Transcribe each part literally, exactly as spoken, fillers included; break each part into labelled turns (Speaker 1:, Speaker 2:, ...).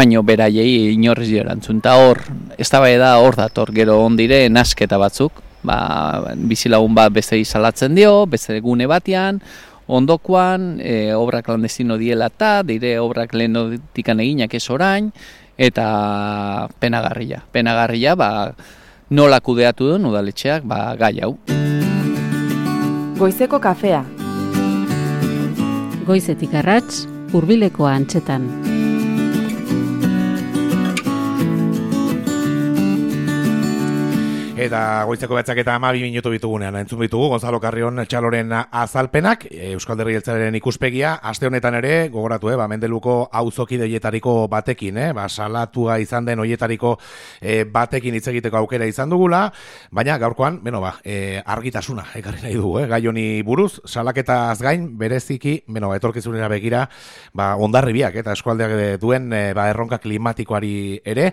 Speaker 1: baino beraiei inorrez erantzun. Ta hor, eztabaida hor dator, gero ondire nasketa batzuk, ba, bizilagun bat beste salatzen dio, beste gune batean, ondokoan, e, obra klandestino diela eta, dire obrak lehenotikan eginak ez orain, eta penagarria. Penagarria, ba, nola kudeatu duen udaletxeak, ba, gai hau.
Speaker 2: Goizeko kafea.
Speaker 3: Goizetik arrats, hurbilekoa antxetan.
Speaker 4: Eta goizeko behatzak eta hamabi minutu ditugunean entzun ditugu Gonzalo Carrion Txaloren azalpenak, Euskal Herri Jeltzalearen ikuspegia, aste honetan ere, gogoratu, eh, ba, Mendeluko auzokide hoietariko batekin, eh, ba, salatua izan den hoietariko eh, batekin hitz egiteko aukera izan dugula, baina gaurkoan, beno ba, eh, argitasuna ekarri nahi dugu, eh, gai honi buruz, salaketaz gain, bereziki, beno ba, etorkizunera begira, ba, Hondarribiak eta eskualdeak duen eh, ba, erronka klimatikoari ere,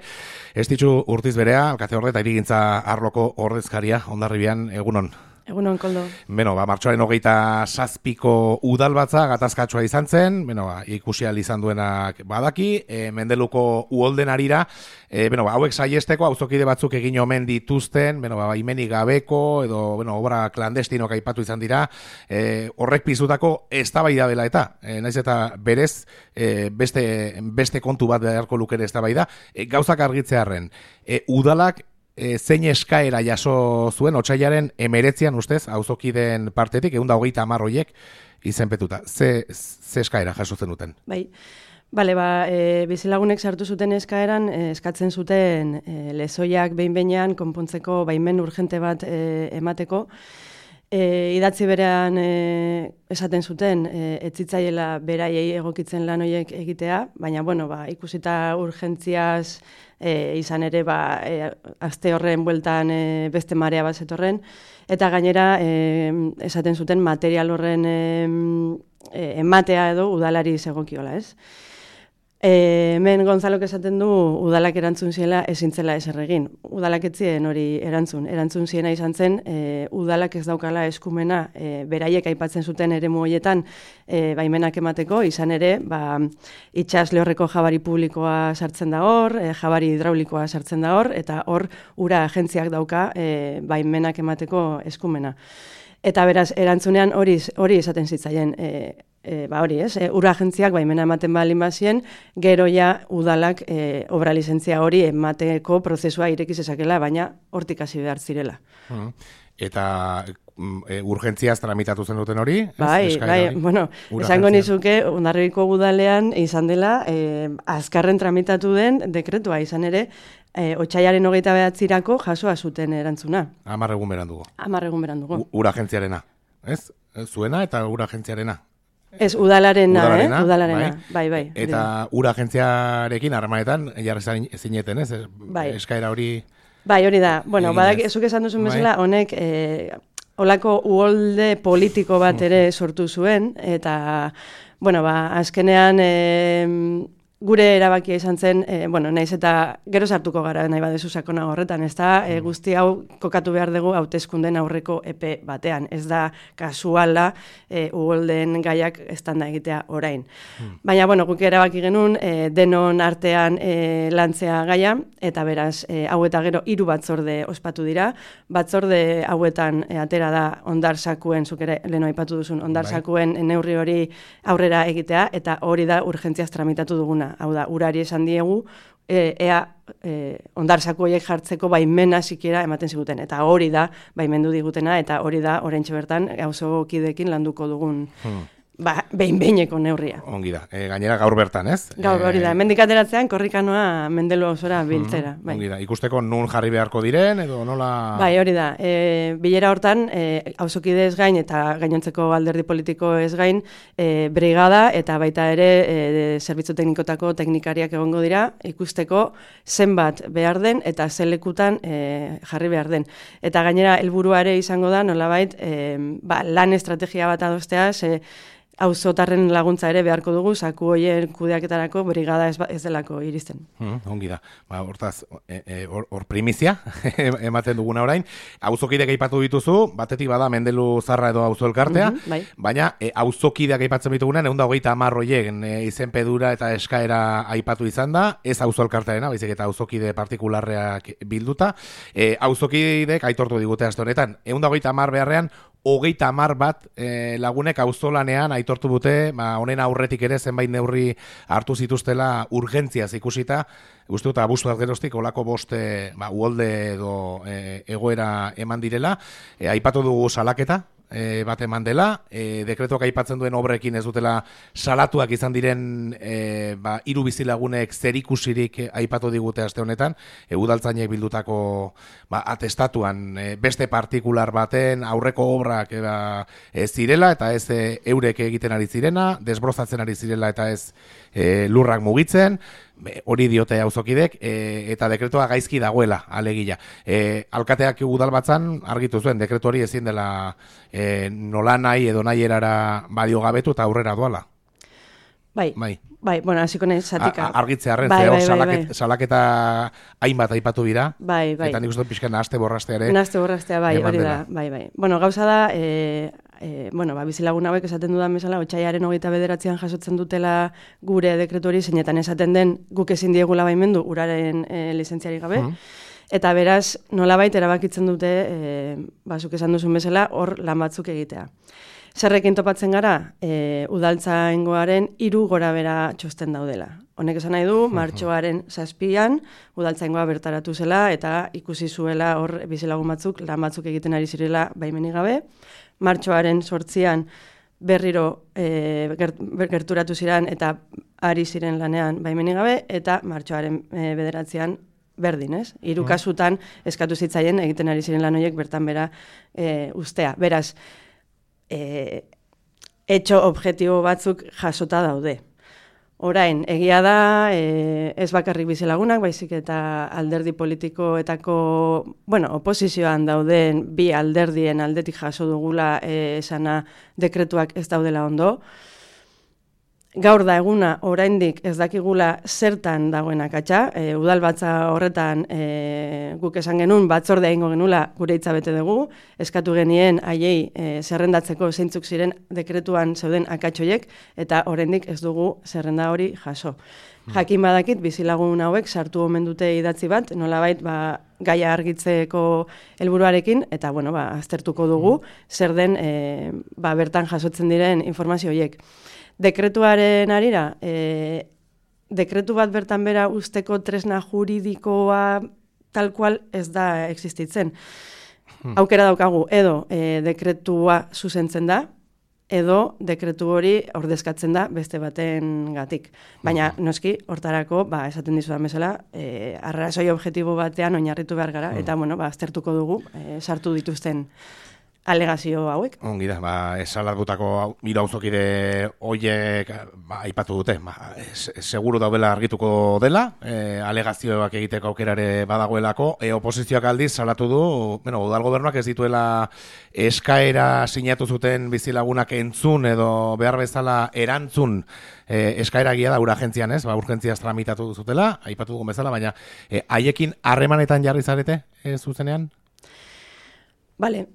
Speaker 4: ez ditzu Urtiz Berea, alkate orde eta hirigintza arloko ordezkaria Hondarribian, egunon.
Speaker 2: Egunon, Koldo.
Speaker 4: Beno, ba, martxoaren hogeita zazpiko udalbatza gatazkatsua izan zen, beno, ba, ikusi ahal izan duenak badaki, e, Mendeluko uholden arira, e, beno, ba, hauek saiesteko auzokide batzuk egin omen dituzten, beno, ba, imenik gabeko, edo, beno, obra klandestinok aipatu izan dira, e, horrek piztutako eztabaida dela eta, e, naiz eta berez, e, beste, beste kontu bat beharko lukere eztabaida, e, gauzak argitzearren, e, udalak, E, zein eskaera jaso zuen otsailaren emeretzian ustez, auzokideen partetik, egun da hogeita hamar horiek izenpetuta. Ze, ze eskaera jaso zen duten?
Speaker 2: Bai, bale, ba, e, bizilagunek sartu zuten eskaeran, e, eskatzen zuten e, lezoiak behin-behinean konpontzeko baimen urgente bat e, emateko. E, idatzi berean e, esaten zuten, e, etzitzaiela beraiei egokitzen lan horiek egitea, baina, bueno, ba, ikusita urgentziaz e, izan ere, ba, e, aste horren bueltan e, beste marea bat zetorren, eta gainera e, esaten zuten material horren e, e, ematea edo udalari zegokiola, ez? E, hemen Gonzalok esaten du udalak erantzun ziela ezin zela ezer egin. Udalak etzien hori erantzun. Erantzun ziena izan zen, e, udalak ez daukala eskumena e, beraiek aipatzen zuten eremu horietan e, baimenak emateko, izan ere, ba, itxas lehorreko jabari publikoa sartzen da hor, e, jabari hidraulikoa sartzen da hor, eta hor ura agentziak dauka e, baimenak emateko eskumena. Eta beraz, erantzunean hori hori esaten zitzaien, e, E, ba hori, ez, e, ura agentziak baimena ematen balin bazien, gero ja udalak e, obra lizentzia hori emateko prozesua ireki zezakela, baina hortik hasi behar zirela. Hmm.
Speaker 4: Eta e, urgentziaz tramitatu zen duten hori?
Speaker 2: Bai,
Speaker 4: ez,
Speaker 2: bai,
Speaker 4: hori?
Speaker 2: Bueno, esango nizuke, Hondarribiko udalean izan dela, e, azkarren tramitatu den dekretua izan ere, e, otsailaren hogeita bederatzirako jasoa zuten erantzuna.
Speaker 4: Hamar egun berandugo.
Speaker 2: Hamar egun berandugo.
Speaker 4: Ura agentziarena, ez? Zuena eta ura agentziarena.
Speaker 2: Ez, udalarena,
Speaker 4: udalarena,
Speaker 2: eh? Udalarena, bai, bai. bai
Speaker 4: eta ura agentziarekin harremanetan jarri zineten, ez?
Speaker 2: Bai.
Speaker 4: Eskaera hori...
Speaker 2: Bai, hori da. Bueno, badak, ezuk esan duzun bezala, bai. Honek eh, olako uholde politiko bat ere sortu zuen, eta, bueno, ba, azkenean... Eh, gure erabakia izan zen, e, bueno, naiz eta gero sartuko gara nahi badezu sakona horretan, ez da, e, guzti hau kokatu behar dugu hauteskunden aurreko epe batean, ez da kasuala e, uholden gaiak estanda egitea orain. Hmm. Baina, bueno, guk erabaki genuen, e, denon artean e, lantzea gaia, eta beraz, e, hau eta gero hiru batzorde ospatu dira, batzorde hauetan e, atera da ondarsakuen, zuk ere leheno aipatu duzun, ondarsakuen neurri hori aurrera egitea, eta hori da urgentziaz tramitatu duguna. Hau da, urari esan diegu, e, ea e, ondarsako horiek jartzeko baimena sikiera ematen ziguten. Eta hori da, baimendu digutena, eta hori da, oraintxe bertan, auzokideekin landuko dugun hmm. ba, behin-behineko neurria.
Speaker 4: Ongi da, e, gainera gaur bertan, ez?
Speaker 2: Gaur hori da, hemendik ateratzean korrikanoa Mendelu auzora biltzera.
Speaker 4: Hmm. Bai. Ongi da, ikusteko nun jarri beharko diren, edo nola...
Speaker 2: Bai, hori da, e, bilera hortan, e, auzokide ez gain, eta gainontzeko alderdi politiko ez gain, e, brigada, eta baita ere, e, zerbitzu teknikotako teknikariak egongo dira, ikusteko zenbat behar den, eta zelekutan e, jarri behar den. Eta gainera, helburua ere izango da, nolabait, e, ba, lan estrategia bat adostea, ze, auzotarren laguntza ere beharko dugu, zaku hoien kudeaketarako brigada ez, ez delako iristen.
Speaker 4: Hmm, ongi da. Ba, hortaz, hor e, e, or primizia ematen duguna orain. Auzokideak aipatu dituzu, batetik bada Mendelu Zarra edo auzo elkartea,
Speaker 2: Mhm, bai.
Speaker 4: baina e, auzokideak aipatzen ditugunean, ehun eta hogeita hamar horiek e, izenpedura eta eskaera aipatu izan da, ez auzo elkartearena, baizik eta auzokide partikularreak bilduta. E, auzokideek aitortu digute aste honetan, ehun eta hogeita hamar beharrean, hogeita hamar bat e, lagunek auzolanean aitortu dute, ba, honen aurretik ere zenbait neurri hartu zituztela urgentziaz ikusita, uste dut abusuaz geroztik olako boste ba, uholde edo e, egoera eman direla, e, aipatu dugu salaketa, E, bat eman dela, e, dekretuak aipatzen duen obrekin ez dutela salatuak izan diren e, ba, hiru bizilagunek zerikusirik aipatu digute aste honetan, e, udaltzainek bildutako ba, atestatuan e, beste partikular baten aurreko obrak e, ba, e, zirela eta ez e, eurek egiten ari zirena, desbrozatzen ari zirela eta ez e, lurrak mugitzen, Be, hori diote auzokidek, e, eta dekretua gaizki dagoela, alegia. E, alkateak udalbatzan argitu zuen, dekretu hori ezin dela e, nola nahi edo nahi erara badio gabetu eta aurrera doala.
Speaker 2: Bai, bai, bai bueno, hasiko nahi zatika.
Speaker 4: Argitze arren,
Speaker 2: bai,
Speaker 4: ze hor
Speaker 2: bai, bai,
Speaker 4: salaket,
Speaker 2: bai.
Speaker 4: salaketa hainbat aipatu dira,
Speaker 2: bai, bai.
Speaker 4: eta nik uste pixkan nahaste borrastea ere.
Speaker 2: Nahaste borrastea, bai,
Speaker 4: eman
Speaker 2: hori da,
Speaker 4: dela.
Speaker 2: bai, bai. Bueno, gauza da, e, e, bueno, ba, bizilagun hauek esaten dudan bezala, otsailaren hogeita bederatzean jasotzen dutela gure dekretu hori, zeinetan esaten den guk ezin diegula baimendu uraren e, lizentziari gabe,
Speaker 4: Mhm.
Speaker 2: eta beraz, nolabait erabakitzen dute, e, bazuk esan duzun bezala, hor lan batzuk egitea. Zerrekin topatzen gara, e, udaltzaingoaren hiru gora bera txosten daudela. Honek esan nahi du, martxoaren zazpian, udaltzaingoa bertaratu zela, eta ikusi zuela hor bizilagun batzuk, lan batzuk egiten ari zirela baimenik gabe. Martxoaren sortzian berriro e, gert, gerturatu ziren eta ari ziren lanean baimenik gabe, eta martxoaren e, bederatzean berdin, ez? Hiru kasutan eskatu zitzaien egiten ari ziren lan horiek bertan bera e, ustea. Beraz, e, etxo objektibo batzuk jasota daude. Orain, egia da, e, ez bakarrik bizilagunak, baizik eta alderdi politikoetako, bueno, oposizioan dauden bi alderdien aldetik jaso dugula e, esana dekretuak ez daudela ondo. Gaur da eguna oraindik ez dakigula zertan dagoen akatsa, e, udalbatza horretan e, guk esan genuen batzordea egingo genula gure hitza bete dugu, eskatu genien haiei e, zerrendatzeko zeintzuk ziren dekretuan zeuden akatsoiek eta oraindik ez dugu zerrenda hori jaso. Jakin badakit bizilagun hauek sartu omen dute idatzi bat, nolabait ba gaia argitzeko helburuarekin eta bueno, ba aztertuko dugu zer den e, ba bertan jasotzen diren informazio horiek. Dekretuaren arira, e, dekretu bat bertan bera usteko tresna juridikoa tal cual ez da existitzen. Aukera daukagu, edo e, dekretua zuzentzen da, edo dekretu hori ordezkatzen da beste baten gatik. Baina, noski, hortarako, ba, esaten dizudan bezala, e, arrazoi objektibo batean oinarritu behar gara, eta, bueno, ba, aztertuko dugu, e, sartu dituzten alegazio hauek.
Speaker 4: Ongi da, ba, esalatutako hiru auzokide hoiek ba, aipatu dute, ba, es, seguru daudela argituko dela, e, alegazioak egiteko aukerare badagoelako, e, oposizioak aldiz salatu du, bueno, udal gobernuak ez dituela eskaera sinatu zuten bizilagunak entzun edo behar bezala erantzun e, eskaera egia da uragentzian, ez? Ba, urgentziaz tramitatu zutela, aipatu dugun bezala, baina e, haiekin harremanetan jarri zarete e, zuzenean?
Speaker 2: Bale,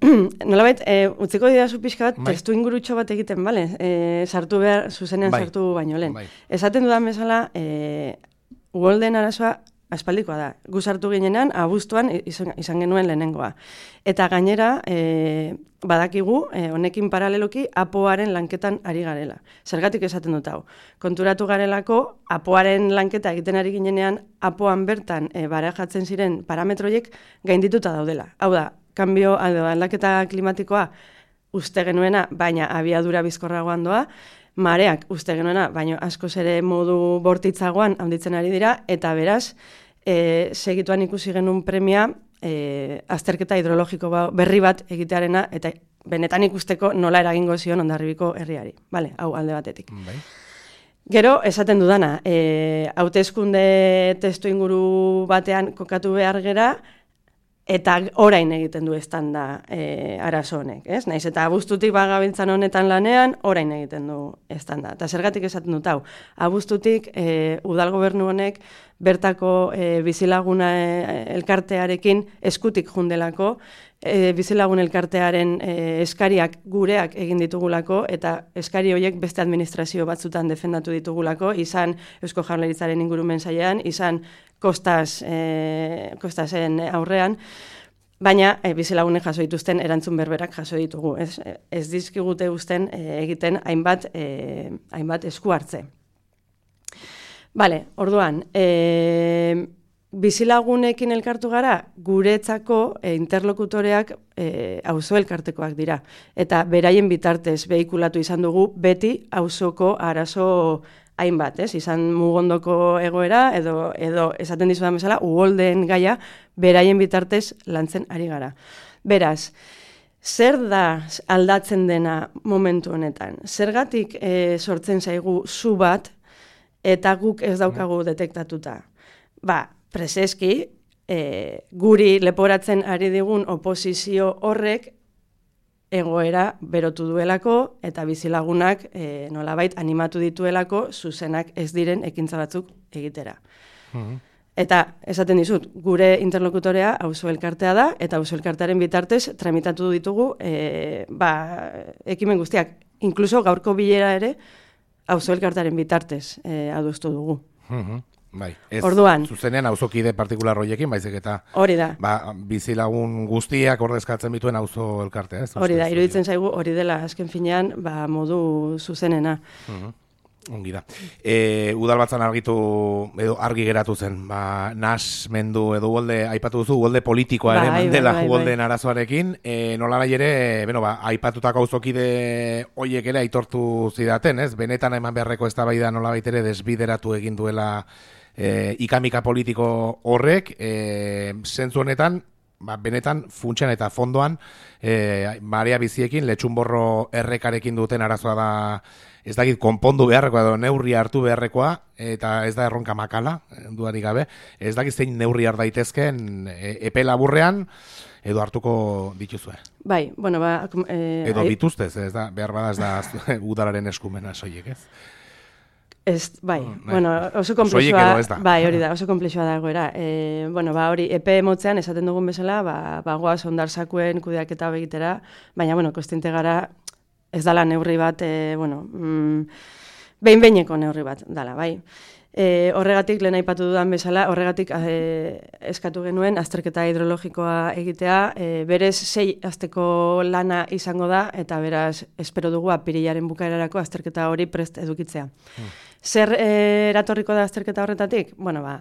Speaker 2: nolabait, e, utziko didazu pixka bat,
Speaker 4: bai.
Speaker 2: testu ingurutxo bat egiten, bale? E, sartu behar, zuzenean
Speaker 4: bai.
Speaker 2: sartu baino lehen.
Speaker 4: Bai.
Speaker 2: Esaten dudan bezala, e, uholden arazoa aspaldikoa da. Gu sartu ginenan, abuztuan izan, izan genuen lehenengoa. Eta gainera, e, badakigu, e, honekin paraleloki, apoaren lanketan ari garela. Zergatik esaten dut hau. Konturatu garelako, apoaren lanketa egiten ari ginenean, apoan bertan e, barajatzen ziren parametroiek gaindituta daudela. Hau da, kanbio aldaketa klimatikoa uste genuena, baina abiadura bizkorragoan doa, mareak uste genuena, baina askoz ere modu bortitzagoan handitzen ari dira, eta beraz, e, segituan ikusi genuen premia, e, azterketa hidrologiko berri bat egitearena, eta benetan ikusteko nola eragingo zion Hondarribiko herriari. Vale, hau alde batetik.
Speaker 4: Bai.
Speaker 2: Gero, esaten dudana, e, hauteskunde testu inguru batean kokatu behar gera, eta orain egiten du estanda e, arazo honek, ez? Naiz eta abuztutik bagabiltzan honetan lanean, orain egiten du estanda. Eta zergatik esaten dut hau, abuztutik e, udal gobernu honek bertako e, bizilaguna e, elkartearekin eskutik jundelako, e, bizilagun elkartearen e, eskariak gureak egin ditugulako, eta eskari horiek beste administrazio batzutan defendatu ditugulako, izan Eusko Jaurlaritzaren ingurumen sailean, izan Kostas, e, Kostasen aurrean, baina e, bizilagunek jaso dituzten erantzun berberak jaso ditugu. Ez, ez dizkigute uzten e, egiten hainbat, e, hainbat esku hartze. Bale, orduan, e, bizilagunekin elkartu gara, guretzako e, interlokutoreak e, auzo elkartekoak dira. Eta beraien bitartez behikulatu izan dugu beti auzoko arazo hainbat, ez? Izan mugondoko egoera, edo, edo esaten dizudan bezala, uholdeen gaia beraien bitartez lantzen ari gara. Beraz, zer da aldatzen dena momentu honetan? Zergatik e, sortzen zaigu zu bat, eta guk ez daukagu detektatuta? Ba, preseski, e, guri leporatzen ari digun oposizio horrek egoera berotu duelako eta bizilagunak e, nolabait animatu dituelako zuzenak ez diren ekintza batzuk egitera. Mm-hmm. Eta esaten dizut, gure interlokutorea auzo elkartea da, eta auzo elkartearen bitartez tramitatu ditugu e, ba, ekimen guztiak. Inkluso gaurko bilera ere auzo elkartearen bitartez e, adostu dugu.
Speaker 4: Mm-hmm. Bai, ez
Speaker 2: orduan,
Speaker 4: zuzenean auzokide partikular horiekin, baizik eta
Speaker 2: hori da.
Speaker 4: Ba, bizilagun guztiak ordezkatzen bituen auzo elkartea, ez?
Speaker 2: Hori da, iruditzen zaigu hori dela azken finean, ba, modu zuzenena.
Speaker 4: Uh-huh. Ongi da. E, udalbatzan argitu, edo argi geratu zen, ba, nas mendu edo uholde, aipatu duzu, uholde politikoa ere
Speaker 2: bai,
Speaker 4: mandela
Speaker 2: bai, bai,
Speaker 4: uholdeen
Speaker 2: bai.
Speaker 4: arazoarekin, e, nola nahi ere, beno, ba, aipatutako auzokide hoiek ere aitortu zidaten, ez? Benetan eman beharreko eztabaida nolabait ere desbideratu egin duela e, ikamika politiko horrek, e, zentzu honetan, ba, benetan funtsean eta fondoan e, marea biziekin, letxunborro errekarekin duten arazoa da, ez dakit konpondu beharrekoa edo neurri hartu beharrekoa, eta ez da erronka makala, dudarik gabe, ez dakit zein neurri har daitezken e, epe laburrean, edo hartuko dituzue.
Speaker 2: Bai, bueno, ba... Eh,
Speaker 4: edo dituztez, ez da, behar bada ez da udalaren eskumena soiek, ez?
Speaker 2: Ez, bai,
Speaker 4: Oh,
Speaker 2: bueno, oso komplexua, bai, hori da, oso komplexua da egoera. E, bueno, ba, hori, epe motzean esaten dugun bezala, ba, bagoaz ondarsakuen kudeaketa begitera, baina, bueno, kostiente gara, ez dala neurri bat, e, bueno, mm, behin-behineko neurri bat dala, bai. E, horregatik, lehen aipatu dudan bezala, horregatik e, eskatu genuen azterketa hidrologikoa egitea, e, berez sei asteko lana izango da, eta beraz, espero dugu apirilaren bukaerarako azterketa hori prest edukitzea. Hmm. Zer e, eratorriko da azterketa horretatik? Bueno, ba,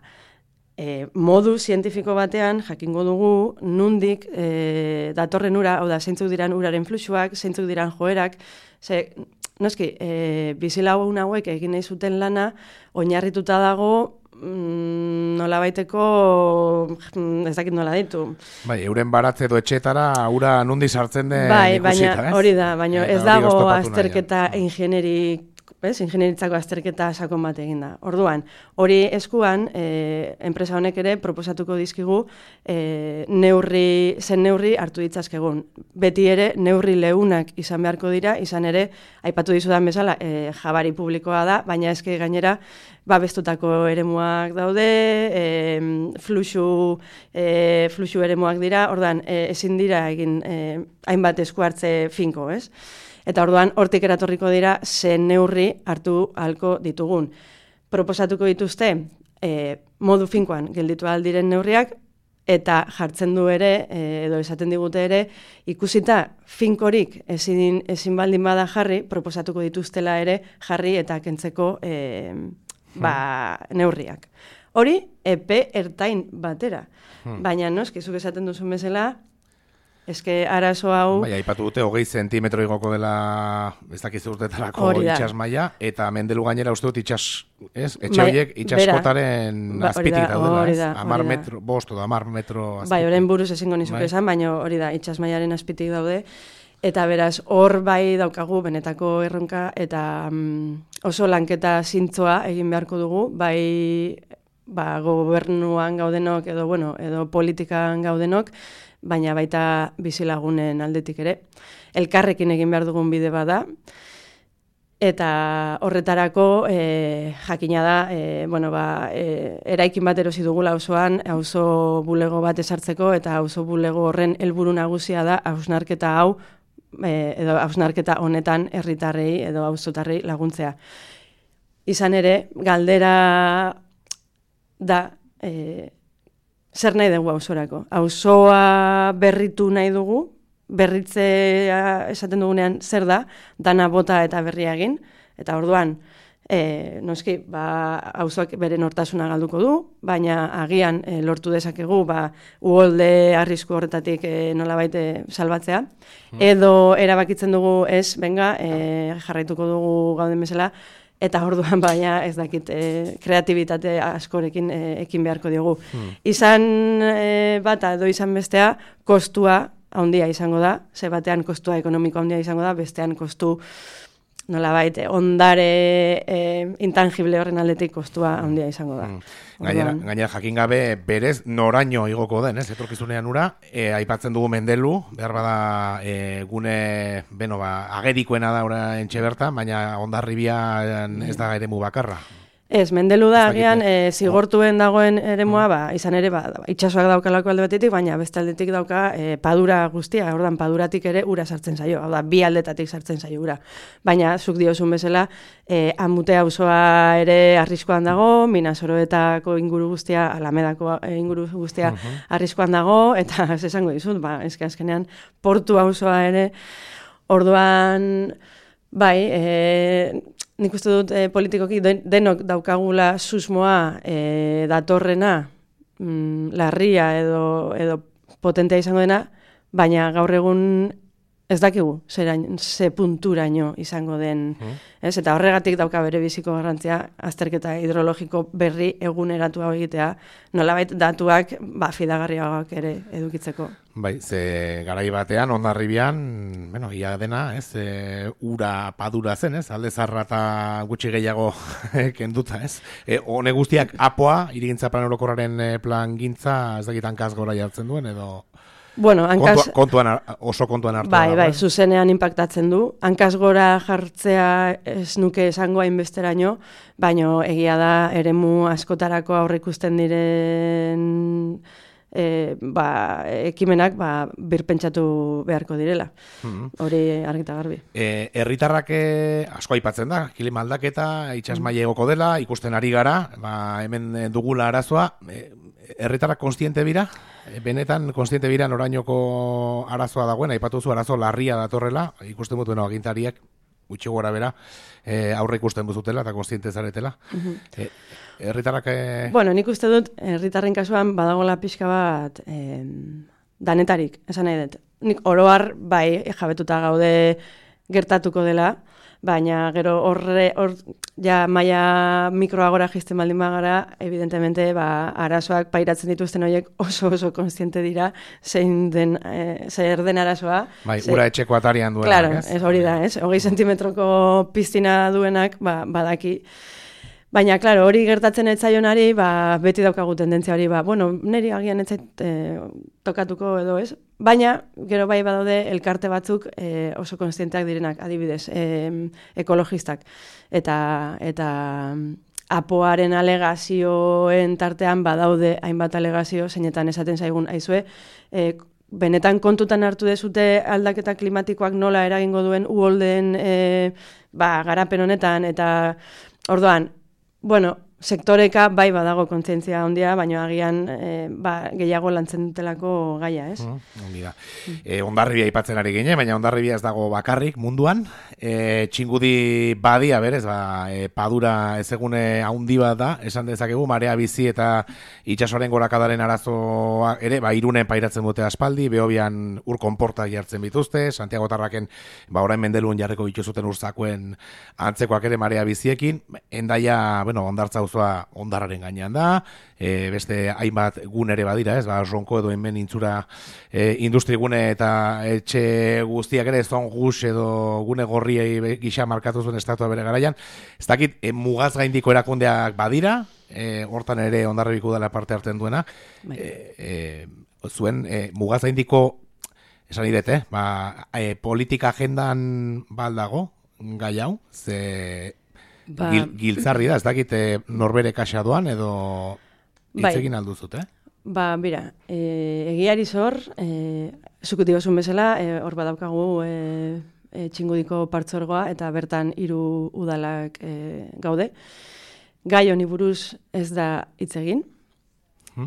Speaker 2: e, modu zientifiko batean jakingo dugu nundik e, datorren ura, hau da, zeintzuk diran uraren fluxuak, zeintzuk diran joerak, ze, noski, e, bizilagun hauek egin nahi zuten lana, oinarrituta dago, mm, nola baiteko, ez dakit nola ditu.
Speaker 4: Bai, euren baratze edo etxetara, ura nundi sartzen den
Speaker 2: bai,
Speaker 4: ikusita,
Speaker 2: baina,
Speaker 4: ez?
Speaker 2: Hori da, baina ez dago azterketa
Speaker 4: nahian.
Speaker 2: ingenierik, ez, ingenieritzako azterketa sakon bat egin da. Orduan, hori eskuan, e, enpresa honek ere proposatuko dizkigu e, neurri, zen neurri hartu ditzazkegun. Beti ere, neurri leunak izan beharko dira, izan ere, aipatu dizudan bezala, e, jabari publikoa da, baina eske gainera, babestutako eremuak daude, e, fluxu, e, fluxu eremuak dira, orduan, e, ezin dira egin e, hainbat esku hartze finko, ez? Eta orduan, hortik eratorriko dira, zen neurri hartu halko ditugun. Proposatuko dituzte, e, modu finkoan gelditu aldiren neurriak, eta jartzen du ere, e, edo esaten digute ere, ikusita finkorik ezin, ezin baldin bada jarri, proposatuko dituztela ere jarri eta kentzeko e, ba, neurriak. Hori, epe ertain batera. Hmm. Baina, noski, zuk esaten duzun bezala, eske arazo hau...
Speaker 4: Bai, aipatu dute, hogei zentimetro igoko dela, ez dakiz urtetarako itxas maila, eta mendelu gainera uste dut itxas, ez? Etxe horiek itxaskotaren ba, azpitik daudela, ez? Amar metro, bost edo amar metro azpitik.
Speaker 2: Bai, horren buruz ezingo nizuke esan, baina hori da, itxas mailaren azpitik daude, eta beraz, hor bai daukagu benetako erronka, eta mm, oso lanketa zintzoa egin beharko dugu, bai... ba, gobernuan gaudenok edo, bueno, edo politikan gaudenok, baina baita bizilagunen aldetik ere. Elkarrekin egin behar dugun bide bada, eta horretarako e, jakina da, e, bueno, ba, e, eraikin bat erosi dugula auzoan, auzo bulego bat esartzeko, eta auzo bulego horren helburu nagusia da hausnarketa hau, e, edo hausnarketa honetan herritarrei edo auzotarrei laguntzea. Izan ere, galdera da, e, zer nahi dugu auzorako? Auzoa berritu nahi dugu, berritzea esaten dugunean zer da, dana bota eta berria egin, eta orduan, e, noski, ba, auzoak bere nortasuna galduko du, baina agian e, lortu dezakegu, ba, uholde arrisku horretatik e, nolabait e, salbatzea, edo erabakitzen dugu ez, benga, e, jarraituko dugu gauden bezala, eta orduan baina ez dakit e, kreatibitate askorekin e, ekin beharko diogu. Hmm. Izan e, bata edo izan bestea, kostua handia izango da, ze batean kostua ekonomiko handia izango da, bestean kostu nolabait ondare e, intangible horren aldetik kostua handia izango da. Mm.
Speaker 4: Gainera, gainera jakin gabe berez noraino igoko den, ez? Etorkizunean ura, e, aipatzen dugu Mendelu, behar bada e, gune, beno, ba, agerikoena da ora entxe bertan, baina Hondarribian ez da eremu bakarra.
Speaker 2: Ez, Mendelu da, agian, e, zigortuen dagoen eremua, ba, izan ere, ba, itxasoak daukalako alde batetik, baina beste aldetik dauka e, padura guztia, ordan paduratik ere ura sartzen zaio, hau da, bi aldetatik sartzen zaio ura. Baina, zuk diozun bezala, e, Amute auzoa ere arriskoan dago, Minasoroetako inguru guztia, Alamedako inguru guztia uh-huh. arriskoan dago, eta ez esango dizut, ba, ezke azkenean, Portu auzoa ere, orduan, bai, e, nik uste dut e, politikoki denok daukagula susmoa e, datorrena, mm, larria edo, edo potentea izango dena, baina gaur egun ez dakigu zerain, ze punturaino izango den. Mm. Ez? Eta horregatik dauka bere biziko garrantzia azterketa hidrologiko berri eguneratu hau egitea, nolabait datuak ba, fidagarriagoak ere edukitzeko.
Speaker 4: Bai, ze garai batean, Hondarribian, bueno, ia dena, ez, e, ura padura zen, ez, alde zarra eta gutxi gehiago kenduta, ez. E, hone guztiak apoa, irigintza plan orokorraren plan gintza, ez dakit hankaz gora jartzen duen, edo...
Speaker 2: Bueno, hankaz...
Speaker 4: Kontuan, oso kontuan hartu.
Speaker 2: Bai, bai, zuzenean impactatzen du. Hankaz gora jartzea ez nuke esango hainbesteraino, baino egia da eremu askotarako aurreikusten diren... E, ba, ekimenak ba, birpentsatu beharko direla. Mm-hmm. Hori argita garbi.
Speaker 4: E, herritarrak asko aipatzen da, klima aldaketa, itsasmaila egoko dela, ikusten ari gara, ba, hemen dugula arazoa, e, herritarrak konstiente bira? E, benetan konstiente bira norainoko arazoa dagoen, aipatu zu arazo larria datorrela, ikusten dutuen agintariak, gutxi gora bera, e, aurre ikusten duzutela eta konstiente zaretela. Mm-hmm. e, Herritarrak... Eh...
Speaker 2: Bueno, nik uste dut, herritarren kasuan badagola pixka bat eh, danetarik, esan nahi dut. Nik oroar, bai, jabetuta gaude gertatuko dela, baina gero horre, hor, ja, maia mikroagora jisten baldin bagara, evidentemente, ba, arazoak pairatzen dituzten horiek oso oso konstiente dira, zein den, eh, zer den arazoa.
Speaker 4: Bai, ze... ura etxeko atarian duenak,
Speaker 2: claro, ez? Ez hori da, ez? Hogei sentimetroko piztina duenak, ba, badaki... Baina, klaro, hori gertatzen etzaionari, ba, beti daukagu tendentzia hori, ba, bueno, niri agian etzait e, tokatuko edo ez. Baina, gero bai badaude elkarte batzuk e, oso konstienteak direnak, adibidez, e, ekologistak. Eta, eta apoaren alegazioen tartean badaude hainbat alegazio, zeinetan esaten zaigun aizue, e, benetan kontutan hartu dezute aldaketa klimatikoak nola eragingo duen uholdeen e, ba, garapen honetan, eta orduan, bueno, sektoreka bai badago kontzientzia handia, baina agian e, ba, gehiago lantzen dutelako gaia, ez?
Speaker 4: Mm, ongi da. Mm. E, Hondarribia aipatzen ari gine, baina Hondarribia ez dago bakarrik munduan. E, txingudi badia berez, ba, e, padura ezegune haundi bat da, esan dezakegu, marea bizi eta itsasoaren gorakadaren arazoa ere, ba, Irunen pairatzen dute aspaldi, Behobian ur konportak jartzen bituzte, Santiago Tarraken, ba, orain Mendelun jarriko bituzuten urzakuen antzekoak ere marea biziekin, Endaia, bueno, Hondartza auzoa hondarraren gainean da, e, beste hainbat gune ere badira, ez, ba, ronko edo hemen intzura e, industrigune eta etxe guztiak ere, zon gus edo gune gorriei gisa markatu zuen estatua bere garaian. Ez dakit, e, mugaz gaindiko erakundeak badira, e, hortan ere Hondarribiko udala parte hartzen duena, e, e, zuen e, mugaz gaindiko, esan idet, eh? ba, e, politika agendan baldago, gai hau, ze ba, gil, giltzarri da, ez dakit norbere kaxa doan edo hitzegin alduzut, eh?
Speaker 2: Ba, bira, e, egiari zor, e, zukut digozun bezala, e, hor badaukagu e, e, txingudiko partzorgoa eta bertan hiru udalak e, gaude. Gai honi buruz ez da hitz egin.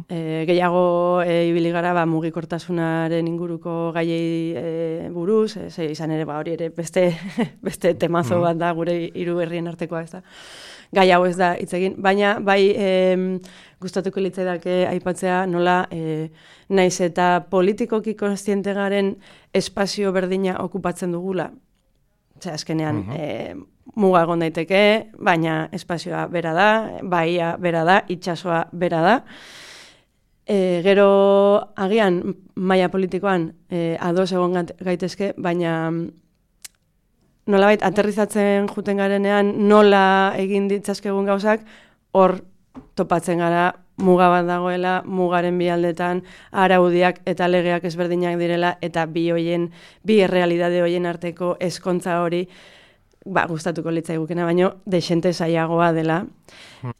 Speaker 2: E, gehiago e, ibili gara ba, mugikortasunaren inguruko gaiei e, buruz, e, ze, izan ere ba, hori ere beste, beste temazo bat da gure hiru herrien artekoa, ez da. Gai hau ez da hitz egin, baina bai e, gustatuko litzaidake aipatzea nola e, naiz eta politikoki kontziente garen espazio berdina okupatzen dugula. Osea, azkenean uh-huh. e, muga egon daiteke, baina espazioa bera da, baia bera da, itsasoa bera da. E, gero agian maila politikoan e, ados egon gaitezke, baina nolabait aterrizatzen juten garenean nola egin ditzazkegun gauzak, hor topatzen gara muga bat dagoela, mugaren bi aldetan araudiak eta legeak ezberdinak direla eta bi hoien, bi errealidade hoien arteko ezkontza hori ba, gustatuko litzaigukena, baino desente zailagoa dela.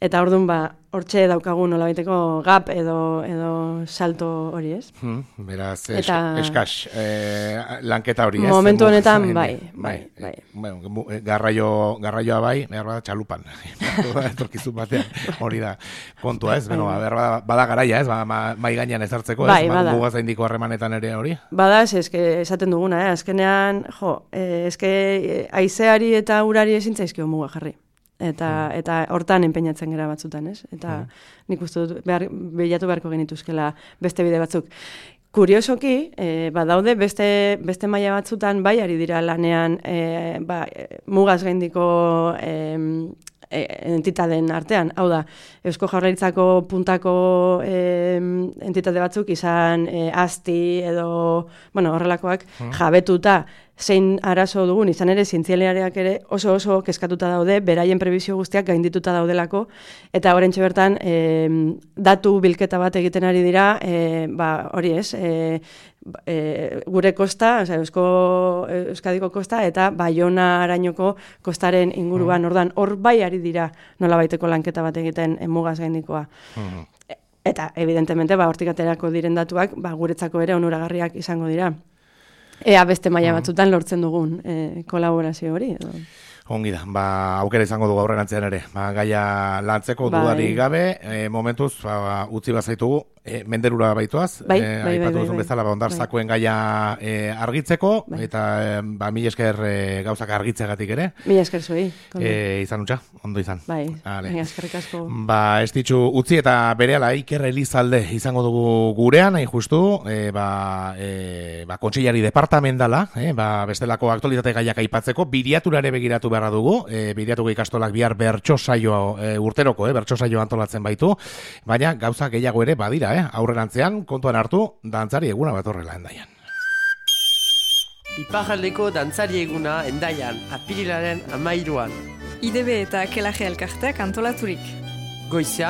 Speaker 2: Eta orduan ba, hortxe daukagu nolabaiteko gap edo edo salto hori, ez?
Speaker 4: Hmm, beraz, es, eta, eskas, eh, lanketa hori, ez?
Speaker 2: Momentu honetan, bai, bai, bai.
Speaker 4: Bueno, garraio, garraioa bai, behar bada txalupan. Etorkizun batean, hori da kontua, ez? Beno, behar bada, bada garaia, ez? Ba, mai gainean ezartzeko, ez?
Speaker 2: Bai, bada.
Speaker 4: Mugaz indiko harremanetan ere hori?
Speaker 2: Bada, ez, eske, esaten duguna, eh? Azkenean, jo, eh, eske, haizeari eta urari ezin zaizkio muga jarri. Eta mm. eta hortan enpeinatzen gara batzutan, ez? Eta mm. nik uste dut behar, bilatu beharko genituzkela beste bide batzuk. Kuriosoki, e, badaude beste beste maila batzutan bai ari dira lanean e, ba, mugaz gaindiko e, e, entitateen artean. Hau da, Eusko Jaurlaritzako puntako e, entitate batzuk izan e, asti edo, bueno, horrelakoak mm. jabetuta zein arazo dugun, izan ere zientzialariak ere oso oso kezkatuta daude, beraien prebizio guztiak gaindituta daudelako, eta horrentxe bertan e, datu bilketa bat egiten ari dira, e, ba, hori ez, e, e, gure kosta, oza, Eusko, Euskadiko kosta, eta Baiona arainoko kostaren inguruan, mm. ordan, hor bai ari dira nolabaiteko lanketa bat egiten mugaz gaindikoa. Mm. Eta, evidentemente, ba, hortik aterako diren datuak, ba, guretzako ere onuragarriak izango dira. Ea beste maila batzutan lortzen dugun e, kolaborazio hori. Edo.
Speaker 4: Ongi da, ba, aukera izango dugu aurrerantzean ere. Ba, gaia lantzeko bai. Dudari gabe, e, momentuz, ba, utzi bazaitugu, e, menderura baituaz,
Speaker 2: bai,
Speaker 4: e,
Speaker 2: bai,
Speaker 4: aipatu
Speaker 2: bai,
Speaker 4: duzun
Speaker 2: bai,
Speaker 4: bezala, ba, ondartzakoen bai. Gaia e, argitzeko, bai. Eta e, ba, mila esker e, gauzak argitzegatik ere.
Speaker 2: Mila esker zuei.
Speaker 4: E, izan utxa, ondo izan.
Speaker 2: Bai, mila eskerrik asko.
Speaker 4: Ba, ez ditxu utzi eta berehala Iker Elizalde izango dugu gurean, hain justu, e, ba, e, ba, kontseilari departamentala, e, ba, bestelako aktualitate gaiak aipatzeko, biriaturare begiratu beharra dugu, e, biriatuko ikastolak bihar bertso saio e, urteroko, e, bertso saio antolatzen baitu, baina gauza gehiago ere badira, eh? Aurrerantzean, kontuan hartu, dantzari eguna bat horrela Hendaian.
Speaker 5: Iparraldeko dantzari eguna Hendaian, apirilaren amairuan.
Speaker 6: I D B eta Kelaje elkarteak antolaturik.
Speaker 5: Goizean,